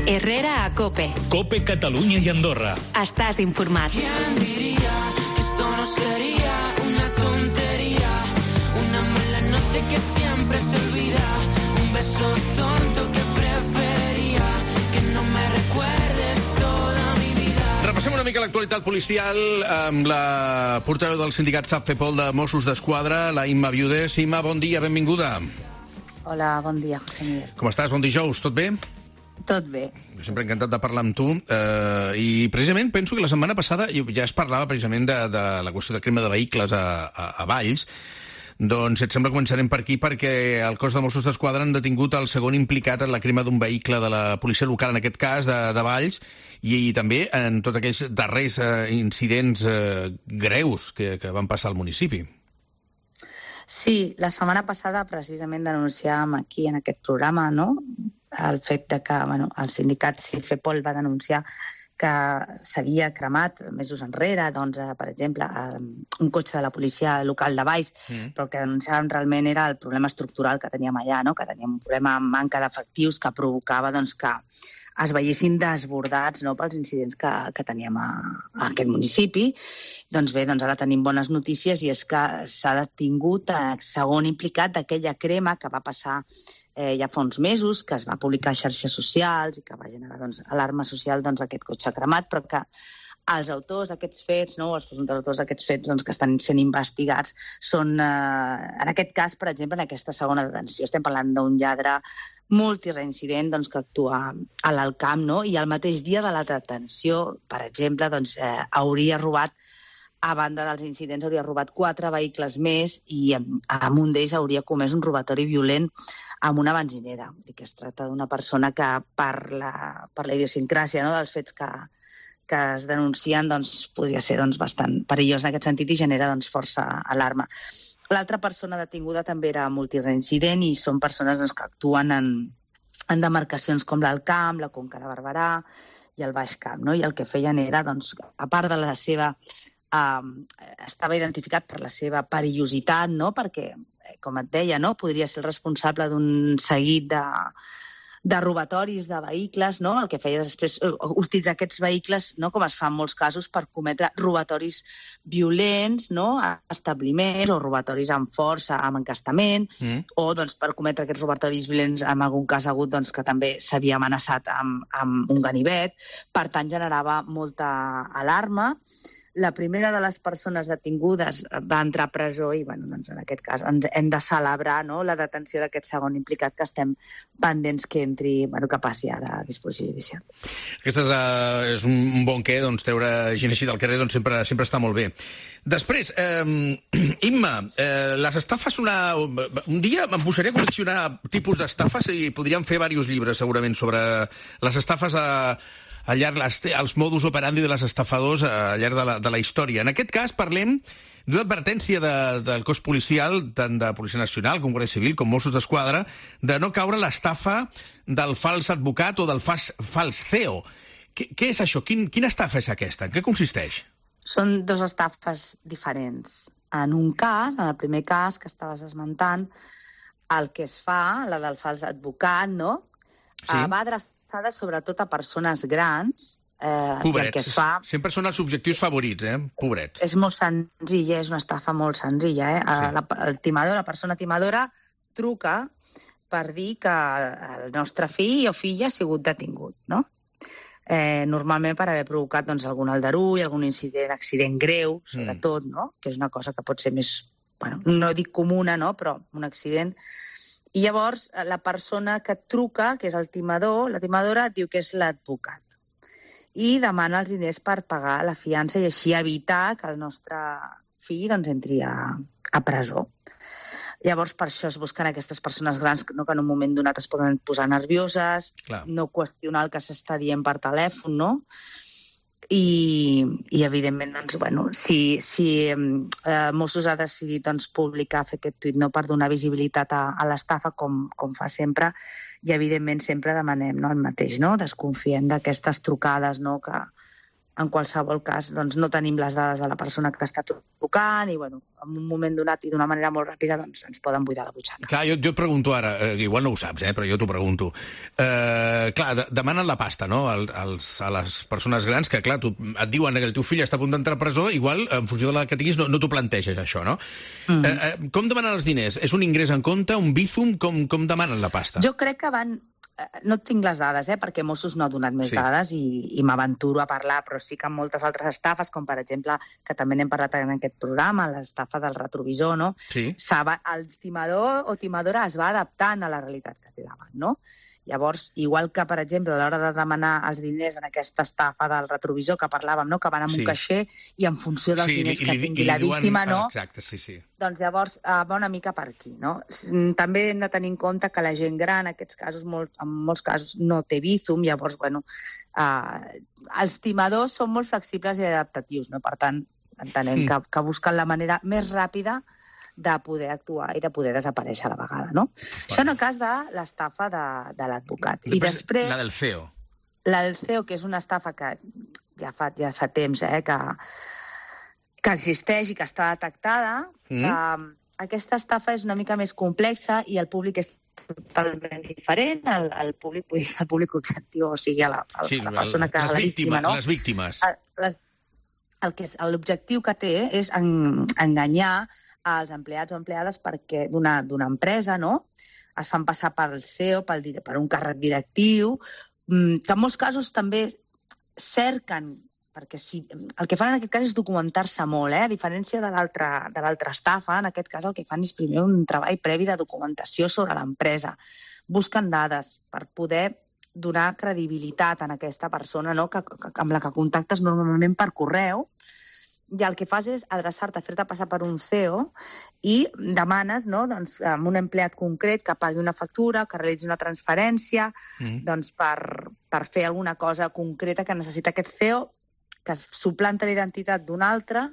Herrera a COPE. COPE Catalunya i Andorra. Estàs informat. ¿Quién diría que esto no sería una tontería? Una mala noche que siempre se olvida. Un beso tonto que preferiría que no me recuerdes toda mi vida. Repassem una mica l'actualitat policial amb la portaveu del sindicat SAPFEPOL de Mossos d'Esquadra, la Imma Viudes. Imma, bon dia, benvinguda. Hola, bon dia, José Miguel. Com estàs? Bon dijous, tot bé? Tot bé. Jo sempre he encantat de parlar amb tu i precisament penso que la setmana passada ja es parlava precisament de la qüestió de crema de vehicles a Valls. Doncs, si et sembla, començarem per aquí perquè el cos de Mossos d'Esquadra han detingut el segon implicat en la crema d'un vehicle de la policia local, en aquest cas, de Valls, i també en tots aquells darrers incidents greus que van passar al municipi. Sí, la setmana passada precisament denunciàvem aquí en aquest programa, no?, el fet de que el sindicat SAPFEPOL va denunciar que s'havia cremat mesos enrere, doncs, per exemple, un cotxe de la policia local de Valls, però el que denunciàvem realment era el problema estructural que teníem allà, no?, que teníem un problema amb manca d'efectius que provocava que es veiessin desbordats, no?, pels incidents que teníem a aquest municipi. Doncs bé, ara tenim bones notícies i és que s'ha detingut el segon implicat d'aquella crema que va passar ja fa uns mesos, que es va publicar a xarxes socials i que va generar alarma social aquest cotxe cremat, però que els autors d'aquests fets, no, els presumptes autors d'aquests fets que estan sent investigats són, en aquest cas, per exemple, en aquesta segona detenció. Estem parlant d'un lladre multireincident que actua a l'Alcamp, no? I el mateix dia de la detenció, per exemple, hauria robat, a banda dels incidents, hauria robat 4 vehicles més i en un d'ells hauria comès un robatori violent amb una benzinera. Que es tracta d'una persona que, per la idiosincràsia, no, dels fets que es denuncien, podria ser bastant perillós en aquest sentit i genera força alarma. L'altra persona detinguda també era multireincident i són persones que actuen en demarcacions com l'Alcamp, la Conca de Barberà i el Baix Camp, no? I el que feien era, a part de la seva... estava identificat per la seva perillositat, no?, perquè, com et deia, no?, podria ser el responsable d'un seguit de robatoris de vehicles, no? El que feia després utilitzar aquests vehicles, no?, com es fa en molts casos, per cometre robatoris violents, no?, a establiments, o robatoris amb força, amb encastament, o per cometre aquests robatoris violents, en algun cas ha hagut que també s'havia amenaçat amb un ganivet. Per tant, generava molta alarma. La primera de les persones detingudes va entrar a presó i, en aquest cas, ens hem de celebrar, no?, la detenció d'aquest segon implicat que estem pendents que entri, que passi ara a disposició judicial. Aquest és un bon què, treure gent així del carrer sempre està molt bé. Després, Imma, les estafes, un dia em posaré a col·leccionar tipus d'estafes i podríem fer diversos llibres, segurament, sobre les estafes al llarg els modus operandi de les estafadors al llarg de la història. En aquest cas parlem d'una advertència del cos policial, tant de Policia Nacional com Guàrdia Civil, com Mossos d'Esquadra, de no caure l'estafa del fals advocat o del fals CEO. Què és això? Quina estafa és aquesta? En què consisteix? Són 2 estafes diferents. En un cas, en el primer cas que estaves esmentant, el que es fa, la del fals advocat, no?, va adreçada sobretot a persones grans. Pobrets. Sempre són els objectius favorits, pobrets. És molt senzilla, és una estafa molt senzilla. El timador, la persona timadora, truca per dir que el nostre fill o filla ha sigut detingut, no? Normalment per haver provocat algun aldarull, algun accident greu, sobretot, no?, que és una cosa que pot ser més, no dic comuna, no?, però un accident. I llavors la persona que truca, que és el timador, la timadora, diu que és l'advocat. I demana els diners per pagar la fiança i així evitar que el nostre fill entri a presó. Llavors, per això es busquen aquestes persones grans que en un moment donat es poden posar nervioses, no qüestionar el que s'està dient per telèfon, no? I evidentment, si Mossos ha decidit publicar, fer aquest tuit, no, per donar visibilitat a l'estafa, com fa sempre, i evidentment sempre demanem el mateix, no? Desconfiem d'aquestes trucades, no?, que en qualsevol cas, doncs, no tenim les dades de la persona que està trucant i, bueno, en un moment donat i d'una manera molt ràpida, doncs, ens poden buidar la butxaca. Clar, jo et pregunto ara, igual no ho saps, però jo t'ho pregunto. Clar, demanen la pasta, no?, a les persones grans, que, clar, et diuen que el teu fill està a punt d'entrar a presó, igual, en funció de la que tinguis, no t'ho planteges, això, no? Com demanen els diners? És un ingrés en compte, un Bizum? Com demanen la pasta? Jo crec que van... No tinc les dades, perquè Mossos no ha donat més dades i m'aventuro a parlar, però sí que en moltes altres estafes, com per exemple, que també n'hem parlat en aquest programa, l'estafa del retrovisor, no? Sí. El timador o timadora es va adaptant a la realitat que té davant, no? Llavors, igual que, per exemple, a l'hora de demanar els diners en aquesta estafa del retrovisor que parlàvem, no?, que van amb un caixer i en funció dels diners que tingui la víctima, no? Exacte, sí. Doncs llavors va una mica per aquí, no? També hem de tenir en compte que la gent gran, en aquests casos, en molts casos, no té Bizum, llavors, bueno, els timadors són molt flexibles i adaptatius, no? Per tant, entenem que busquen la manera més ràpida de poder actuar i de poder desaparèixer a la vegada, no? Això en el cas de l'estafa de l'advocat. I després... La del CEO. La del CEO, que és una estafa que ja fa temps que existeix i que està detectada. Aquesta estafa és una mica més complexa i el públic és totalment diferent. El públic objectiu, o sigui, la persona que... Les víctimes, no? Les víctimes. L'objectiu que té és enganyar als empleats o empleades perquè d'una empresa, no? Es fan passar pel CEO, per un càrrec directiu, que en molts casos també cerquen, perquè el que fan en aquest cas és documentar-se molt, a diferència de l'altra estafa, en aquest cas el que fan és primer un treball previ de documentació sobre l'empresa. Busquen dades per poder donar credibilitat a aquesta persona, no?, amb la que contactes normalment per correu, i el que fas és adreçar-te, fer-te passar per un CEO i demanes, no?, doncs, amb un empleat concret que pagui una factura, que realitzi una transferència, doncs, per fer alguna cosa concreta que necessita aquest CEO, que suplanta l'identitat d'un altre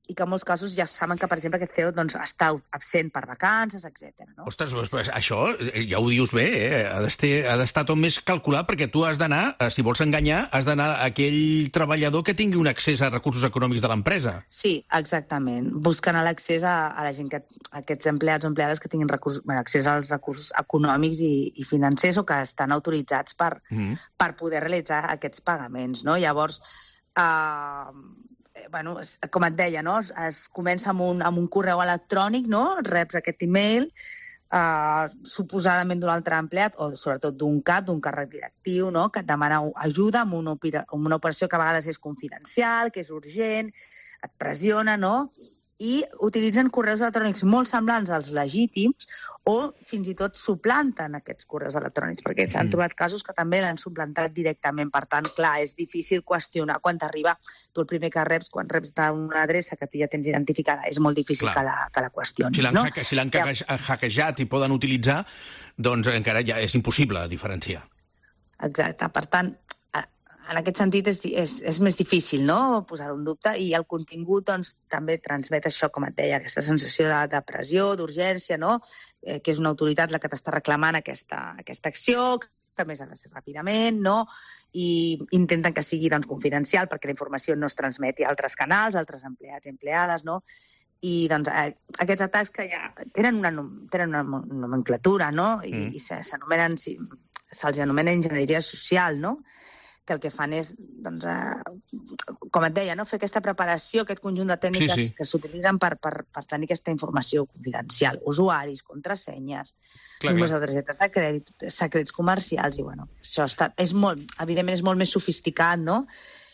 i que en molts casos ja saben que, per exemple, aquest CEO doncs, està absent per vacances, etc. No? Ostres, pues això ja ho dius bé, ha d'estar tot més calculat, perquè tu has d'anar, si vols enganyar, has d'anar a aquell treballador que tingui un accés a recursos econòmics de l'empresa. Sí, exactament. Busquen l'accés a la gent, a aquests empleats o empleades que tinguin accés als recursos econòmics i financers o que estan autoritzats per poder realitzar aquests pagaments. No? Llavors, com et deia, no? Es comença amb un correu electrònic, no? Reps aquest email, suposadament d'un altre empleat, o sobretot d'un cap, d'un càrrec directiu, no? Que et demana ajuda amb una operació que a vegades és confidencial, que és urgent, et pressiona, no? I utilitzen correus electrònics molt semblants als legítims o fins i tot suplanten aquests correus electrònics, perquè s'han trobat casos que també l'han suplantat directament. Per tant, clar, és difícil qüestionar quan t'arriba. Tu el primer que reps, quan reps d'una adreça que tu ja tens identificada, és molt difícil que la qüestionis. Si l'han hackejat i poden utilitzar, doncs encara ja és impossible diferenciar. Exacte. Per tant, en aquest sentit és més difícil, no?, posar-ho en dubte, i el contingut doncs, també transmet això, com et deia, aquesta sensació de pressió, d'urgència, no?, que és una autoritat la que t'està reclamant aquesta acció, que a més ha de ser ràpidament, no?, i intenten que sigui doncs, confidencial perquè la informació no es transmeti a altres canals, a altres empleats i empleades, no?, i doncs, aquests atacs que ja tenen una nomenclatura, no?, i se'ls anomena enginyeria social, no?, que el que fan és, doncs, com et deia, no? Fer aquesta preparació, aquest conjunt de tècniques que s'utilitzen per tenir aquesta informació confidencial. Usuaris, contrasenyes, números de targetes de crèdit, secrets comercials, i bueno, això evidentment és molt més sofisticat, no?,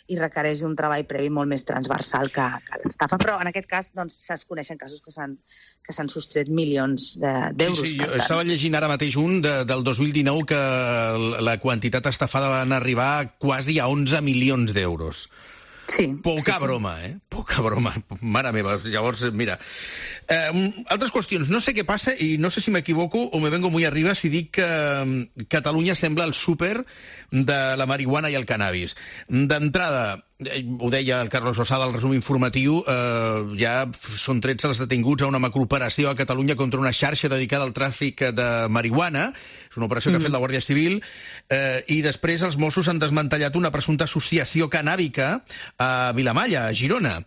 i requereix un treball previ molt més transversal que l'estafa. Però en aquest cas doncs, es coneixen casos que s'han sostret milions d'euros. Sí, jo estava llegint ara mateix un del 2019 que la quantitat estafada van arribar quasi a 11 milions d'euros. Sí. Poca broma, Poca broma. Mare meva. Llavors, mira, Altres qüestions. No sé què passa i no sé si m'equivoco o me vengo muy arriba si dic que Catalunya sembla el súper de la marihuana i el cannabis. D'entrada, ho deia el Carlos Losada al resum informatiu, ja són 13 els detinguts a una macrooperació a Catalunya contra una xarxa dedicada al tràfic de marihuana. És una operació que ha fet la Guàrdia Civil. I després els Mossos han desmantellat una presumpta associació cannàbica a Vilamalla, a Girona.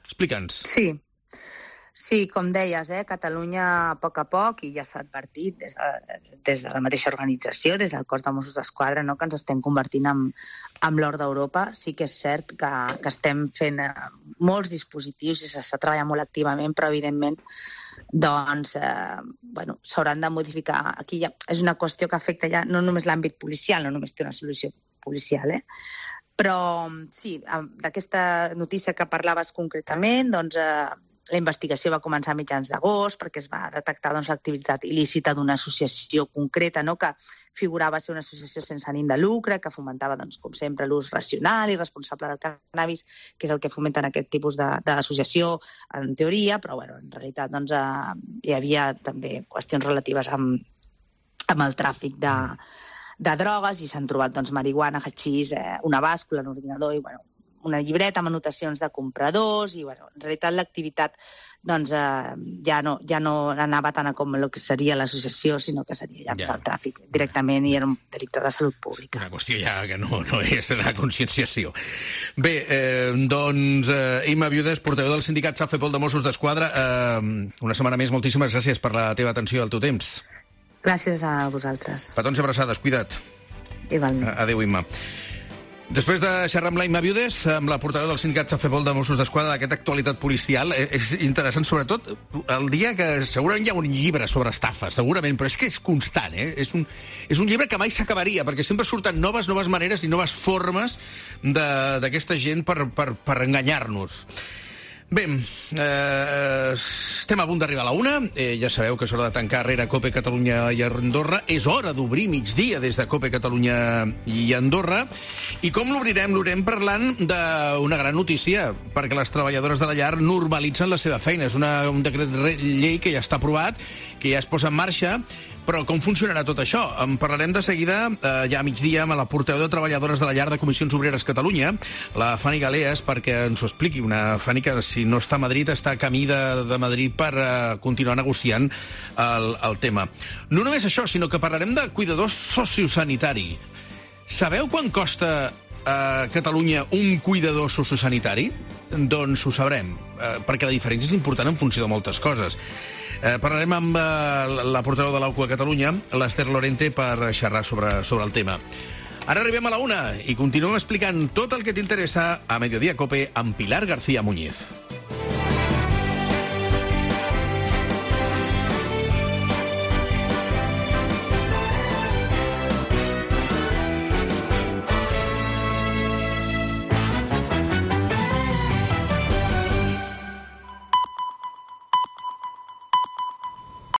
Explica'ns. Sí, com deies, Catalunya a poc, i ja s'ha advertit des de la mateixa organització, des del cos de Mossos d'Esquadra, no, que ens estem convertint en l'or d'Europa. Sí que és cert que estem fent molts dispositius i s'està treballant molt activament, però evidentment doncs, s'hauran de modificar. Aquí ja és una qüestió que afecta ja no només l'àmbit policial, no només té una solució policial, però sí, d'aquesta notícia que parlaves concretament, doncs la investigació va començar a mitjans d'agost perquè es va detectar l'activitat il·lícita d'una associació concreta, no?, que figurava ser una associació sense ànim de lucre, que fomentava, com sempre, l'ús racional i responsable del cannabis, que és el que fomenten aquest tipus d'associació, en teoria, però en realitat hi havia també qüestions relatives amb el tràfic de drogues i s'han trobat marihuana, hachís, una bàscula, un ordinador i una llibreta amb anotacions de compradors i, en realitat, l'activitat ja no anava tant com el que seria l'associació, sinó que seria ja el tràfic directament i era un delicte de salut pública. Una qüestió ja que no és la conscienciació. Bé, Imma Viudes, portaveu del sindicat SAFEPOL de Mossos d'Esquadra, una setmana més, moltíssimes gràcies per la teva atenció i el teu temps. Gràcies a vosaltres. Petons i abraçades, cuida't. Igualment. Adéu, Imma. Després de xerrar amb la Imma Viudes, amb la portaveu del sindicat SAFEPOL de Mossos d'Esquadra d'aquesta actualitat policial, és interessant, sobretot, el dia que segurament hi ha un llibre sobre estafes, segurament, però és que és constant, És un llibre que mai s'acabaria, perquè sempre surten noves maneres i noves formes d'aquesta gent per enganyar-nos. Bé, estem a punt d'arribar a la 1. Ja sabeu que és hora de tancar Rere Cope, Catalunya i Andorra. És hora d'obrir migdia des de Cope, Catalunya i Andorra. I com l'obrirem? L'obrirem parlant d'una gran notícia, perquè les treballadores de la llar normalitzen la seva feina. És un decret llei que ja està aprovat, que ja es posa en marxa. Però com funcionarà tot això? En parlarem de seguida, ja a migdia, amb la portaveu de treballadores de la llar de Comissions Obreres Catalunya, la Fanny Galeas, perquè ens ho expliqui. Una Fanny que, si no està a Madrid, està a camí de Madrid per continuar negociant el tema. No només això, sinó que parlarem de cuidador sociosanitari. Sabeu quan costa a Catalunya un cuidador sociosanitari? Doncs ho sabrem, perquè la diferència és important en funció de moltes coses. Parlarem amb la portaveu de l'AUCO a Catalunya, l'Ester Lorente, per xerrar sobre el tema. Ara arribem a la 1 i continuem explicant tot el que t'interessa a Mediodía Cope amb Pilar García Muñiz.